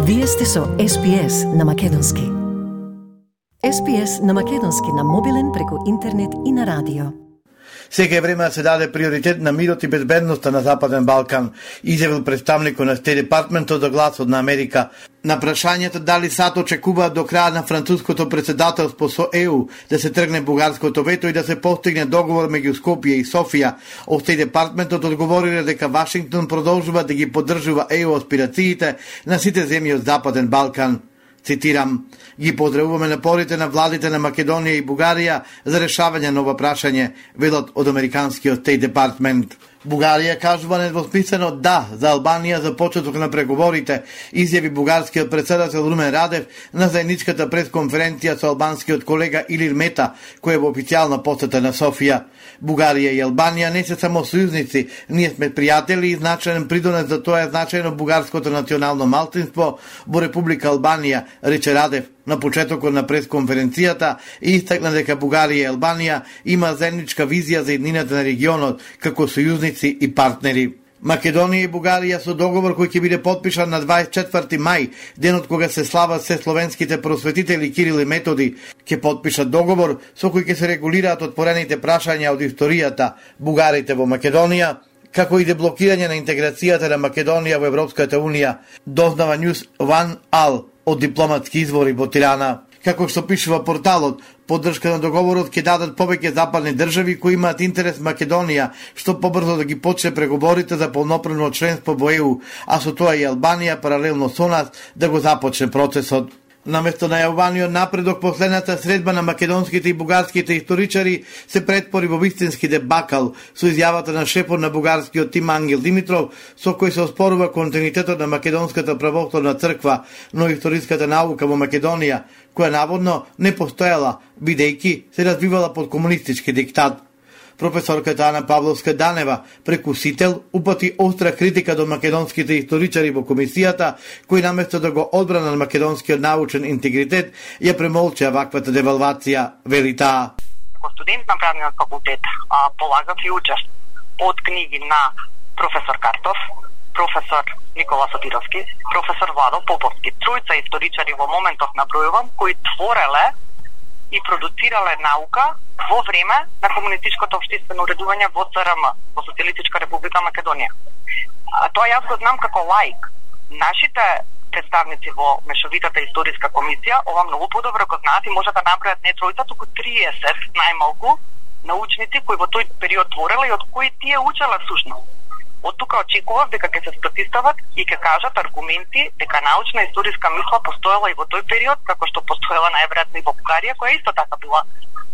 Вие сте со SPS на македонски. SPS на македонски на мобилен преку интернет и на радио. Сега е време да се даде приоритет на мирот и безбедноста на Западен Балкан, изјавил представникот на Стейт Департментот за гласот на Америка. На прашањето дали САД очекуваат до крај на француското председателство со ЕУ да се тргне бугарското вето и да се постигне договор меѓу Скопје и Софија, Стейт Департментот одговориле дека Вашингтон продолжува да ги поддржува ЕУ аспирациите на сите земји од Западен Балкан. Цитирам: ги поздравуваме напорите на владите на Македонија и Бугарија за решавање на ова прашање, велат од американскиот Стейт Департмент. Бугарија кажува недвосмислено да за Албанија за почеток на преговорите, изјави бугарскиот председател Румен Радев на заедничката пресконференција со албанскиот колега Илир Мета, кој е во официјална посета на Софија. Бугарија и Албанија не се само сојузници, ние сме пријатели и значаен придонес за тоа е значајно бугарското национално малцинство во Република Албанија, рече Радев на почетокот на пресконференцијата и истакна дека Бугарија и Албанија има заедничка визија за еднината на регионот како сојузници и партнери. Македонија и Бугарија со договор кој ќе биде потпишан на 24 мај, денот кога се слават се словенските просветители Кирил и Методи, ќе потпишат договор со кој ќе се регулираат отворените прашања од историјата, бугарите во Македонија, како и деблокирање на интеграцијата на Македонија во Европската Унија, дознава News One All од дипломатски извори во Тирана. Како што пишува порталот, поддршка на договорот ќе дадат повеќе западни држави кои имаат интерес Македонија што побрзо да ги почне преговорите за полноправно членство во ЕУ, а со тоа и Албанија паралелно со нас да го започне процесот. Наместо најавуваниот напредок, последната средба на македонските и бугарските историчари се претпори во вистински дебакал со изјавата на шефот на бугарскиот тим Ангел Димитров, со кој се оспорува континуитетот на македонската православна црква, но историската наука во Македонија, која наводно не постоела, бидејќи се развивала под комунистички диктат. Професорката Ана Павловска-Данева, прекусител, упати остра критика до македонските историчари во комисијата, кои наместо да го одбрана на македонскиот научен интегритет, ја премолча ваквата девалвација, вели таа. Како студент на правниот факултет полагав и учев од книги на професор Картов, професор Никола Сотировски, професор Владо Поповски. Тројца историчари во моментов набројувам, кои твореле и продуцирале наука во време на комунистичкото општествено уредување во СРМ, во Социјалистичка република Македонија. Тоа јас го знам како лаик. Нашите представници во мешовитата историска комисија ова многу подобро го знаат и може да набројат не тројца, туку 30 најмалку научници кои во тој период твореле и од кои тие учеле всушност. Од тука очекував дека ќе се спротивстават и ќе кажат аргументи дека научна историска мисла постоела и во тој период, како што постоела најверојатно и во Бугарија, која исто така била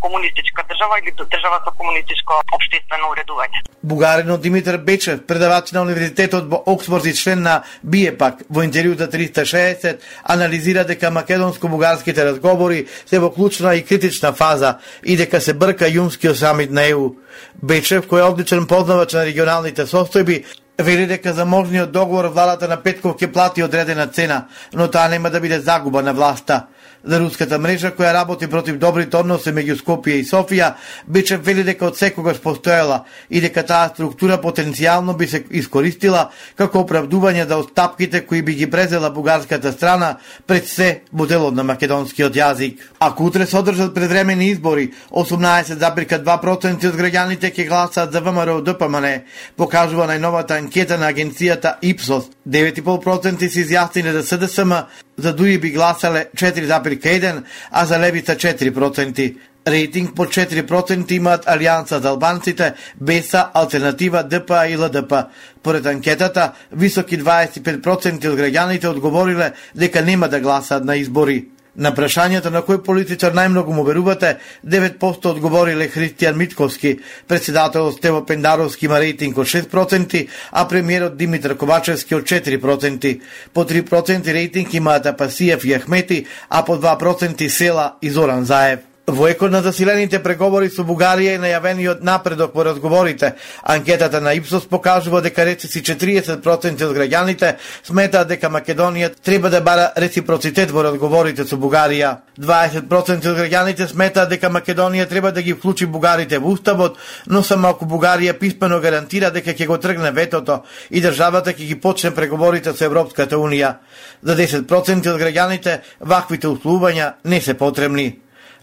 комунистичка држава или држава со комунистичко општествено уредување. Бугаринот Димитар Бечев, предавач на универзитетот во Оксфорд и член на БИЕПАК, во интервју за 360, анализира дека македонско-бугарските разговори се во клучна и критична фаза и дека се брка јунскиот самит на ЕУ. Бечев, кој е одличен познавач на регионалните состојби, вели дека за можниот договор владата на Петков ќе плати одредена цена, но таа нема да биде загуба на власта. За руската мрежа која работи против добрите односи меѓу Скопје и Софија, Бечев вели дека од секогаш постоела и дека таа структура потенцијално би се искористила како оправдување за отстапките кои би ги презела бугарската страна пред се моделот на македонскиот јазик. Ако утре се одржат предвремени избори, 18,2% од граѓаните ќе гласаат за ВМРО ДПМН, покажува најновата анкета на агенцијата Ипсос. 9,5% се изјасниле за СДСМ, за ДУИ би гласале 4,1%, а за Левица 4%. Рейтинг по 4% имаат Алијанса за албанците, БЕСА, Алтернатива, ДПА и ЛДП. Поред анкетата, високи 25% од граѓаните одговориле дека нема да гласаат на избори. На прашањето на кој политичар најмногу му верувате, 9% одговориле Христијан Митковски, председателот Стево Пендаровски има рейтинг од 6%, а премиерот Димитар Ковачевски од 4%. По 3% рейтинг имаат Апасиев и Ахмети, а по 2% Села и Зоран Заев. Во екот на засилените преговори со Бугарија и најавениот напредок во разговорите, анкетата на Ипсос покажува дека речиси 40% од граѓаните сметаат дека Македонија треба да бара реципроцитет во разговорите со Бугарија. 20% од граѓаните сметаат дека Македонија треба да ги вклучи бугарите во уставот, но само ако Бугарија писмено гарантира дека ќе го тргне ветото и државата ќе ги почне преговорите со Европската унија. За 10% од граѓаните ваквите условувања не се потребни.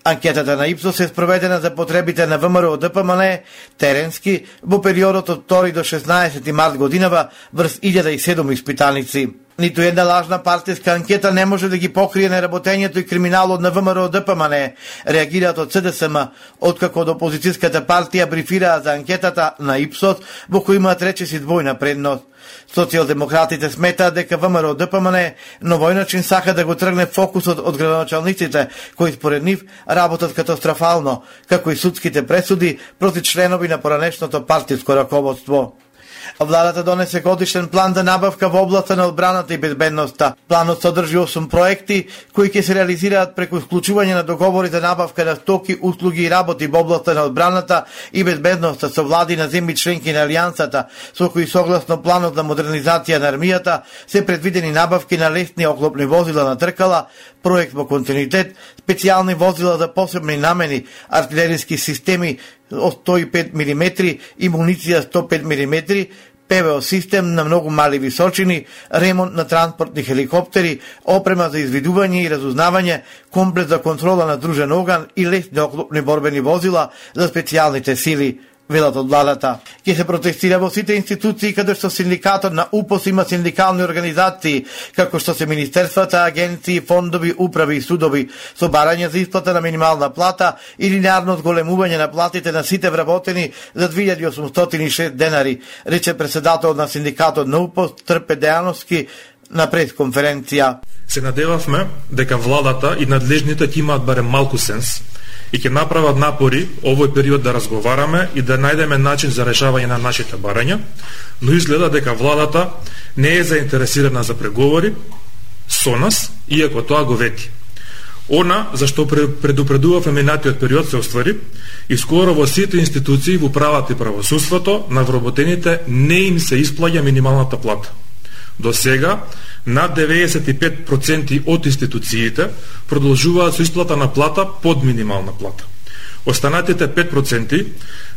Анкетата на Ипсос е спроведена за потребите на ВМРО ДПМН теренски во периодот од 2 до 16 март годинава врз 1007 испитаници. Ниту една лажна партиска анкета не може да ги покрие неработењето и криминалот на ВМРО ДПМН, реагираат од СДСМ, откако од опозицијската партија брифираа за анкетата на Ипсос, во кој имаат речиси двојна предност. Социјалдемократите сметаат дека ВМРО ДПМН на овој начин сака да го тргне фокусот од градоначалниците, кои според нив работат катастрофално, како и судските пресуди против членови на поранешното партиско раководство. Владата донесе годишен план за набавка во областта на одбраната и безбедноста. Планот содржи 8 проекти кои ќе се реализираат преку исклучување на договори за набавка на стоки, услуги и работи во областта на одбраната и безбедноста со влади на земји членки на Алијансата, со кои согласно планот за модернизација на армијата се предвидени набавки на лесни оклопни возила на тркала, проект во континуитет, специјални возила за посебни намени, артилериски системи од 105 мм и муниција 105 мм, ПВО систем на многу мали височини, ремонт на транспортни хеликоптери, опрема за извидување и разузнавање, комплет за контрола на дружен оган и лесни оклопни борбени возила за специјалните сили. Велат од владата. Ќе се протестира во сите институции каде што синдикатот на УПОС има синдикални организации, како што се министерствата, агенции, фондови, управи и судови, со барање за исплата на минимална плата и линеарно зголемување на платите на сите вработени за 2806 денари, рече председателот на синдикатот на УПОС Трпе Дејановски на пресконференција. Се надевавме дека владата и надлежните ќе имаат барем малку сенс и ќе направат напори овој период да разговараме и да најдеме начин за решавање на нашите барања, но изгледа дека владата не е заинтересирана за преговори со нас, иако тоа го вети. Она зашто предупредував минатиот период се оствари и скоро во сите институции во правата и правосудството на вработените не им се исплаќа минималната плата. До сега, над 95% од институциите продолжуваат со исплата на плата под минимална плата. Останатите 5%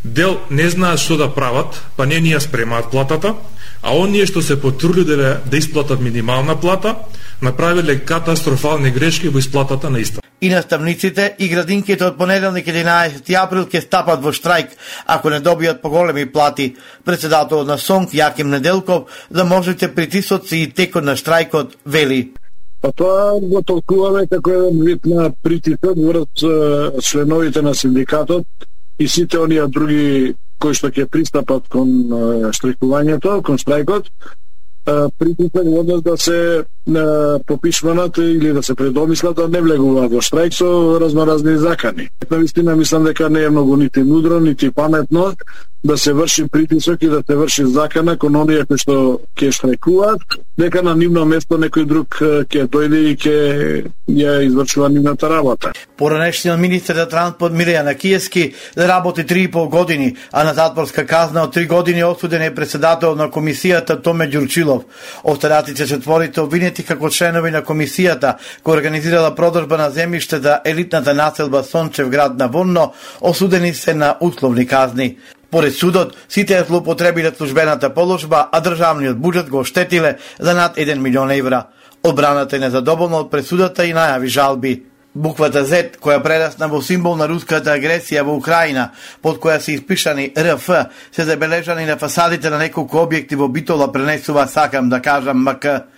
дел не знаат што да прават, па не ни ја спремаат платата, а оние што се потрудиле да исплатат минимална плата, направиле катастрофални грешки во исплатата на иста. И наставниците и градинките од понеделник 11 април ќе стапат во штрајк ако не добијат поголеми плати. Председателот на СОНК Јаким Неделков за можните притисоци и текот на штрајкот вели: Па тоа го толкуваме како еден вид на притисок врз членовите на синдикатот и сите оние други кои што ќе пристапат кон штрајкувањето, кон штрајкот, притисок во однос да се попишманат или да се предомислат да не влегуваат во штрајк со разноразни закани. Навистина мислам дека не е многу нити мудро, нити паметно да се врши притисок и да се врши закана кон оние кои што ќе штрајкуваат, дека на нивно место некој друг ќе дојде и ќе ја извршува нивната работа. Поранешниот министер за транспорт Милијан Акиевски работи 3,5 години, а на затворска казна од 3 години осуден е председател на комисијата Томе Ѓурчилов. Останатите четворите обвинети како членови на комисијата која организирала продажба на земјиште за елитната населба Сончев град на Вонно, осудени се на условни казни. Поред судот, сите ја злоупотребиле службената положба, а државниот буџет го оштетиле за над 1 милион евра. Одбраната е незадоволна од пресудата и најави жалби. Буквата Z, која прерасна во символ на руската агресија во Украина, под која се испишани РФ, се забележани на фасадите на неколку објекти во Битола, пренесува сакам да кажам МК.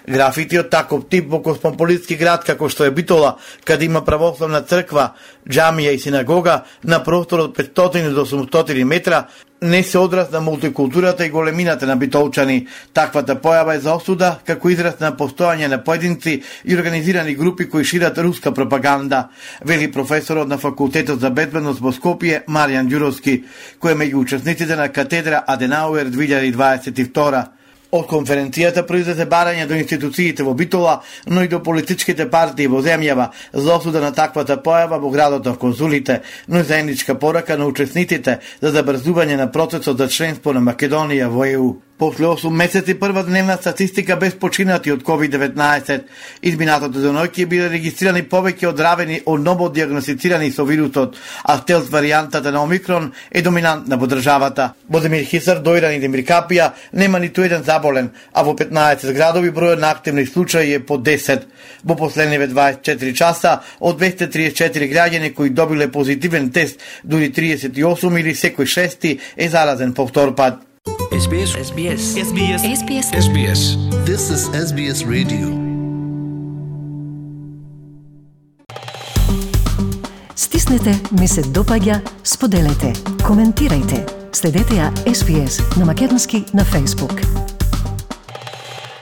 Графити од таков тип во космополитски град како што е Битола, каде има православна црква, џамија и синагога на простор од 500 до 800 метра, не се одраз на мултикултурата и големината на битолчани. Таквата појава е за осуда како израз на постојање на поединци и организирани групи кои шират руска пропаганда, вели професорот на факултетот за безбедност во Скопје Маријан Ѓуровски, кој е меѓу учесниците на катедра Аденауер 2022. Од конференцијата произлезе барање до институциите во Битола, но и до политичките партии во земјава за осуда на таквата појава во градот на конзулите, но и заедничка порака на учесниците за забрзување на процесот за членство на Македонија во ЕУ. После 8 месеци прва дневна статистика без починати од COVID-19. Изминатото деноќи биле регистрирани повеќе одравени од ново диагностицирани со вирусот, а стелс варијантата на Омикрон е доминантна во државата. Во Демир Хисар, Дојран и Демир Капија нема ниту еден заболен, а во 15 градови бројот на активни случаи е по 10. Во последниве 24 часа од 234 граѓани кои добиле позитивен тест, дури 38 или секој шести е заразен по втор пат. SBS. This is SBS Radio. Стиснете, ми се допаѓа, споделете, коментирајте. Следете ја SBS на македонски на Facebook.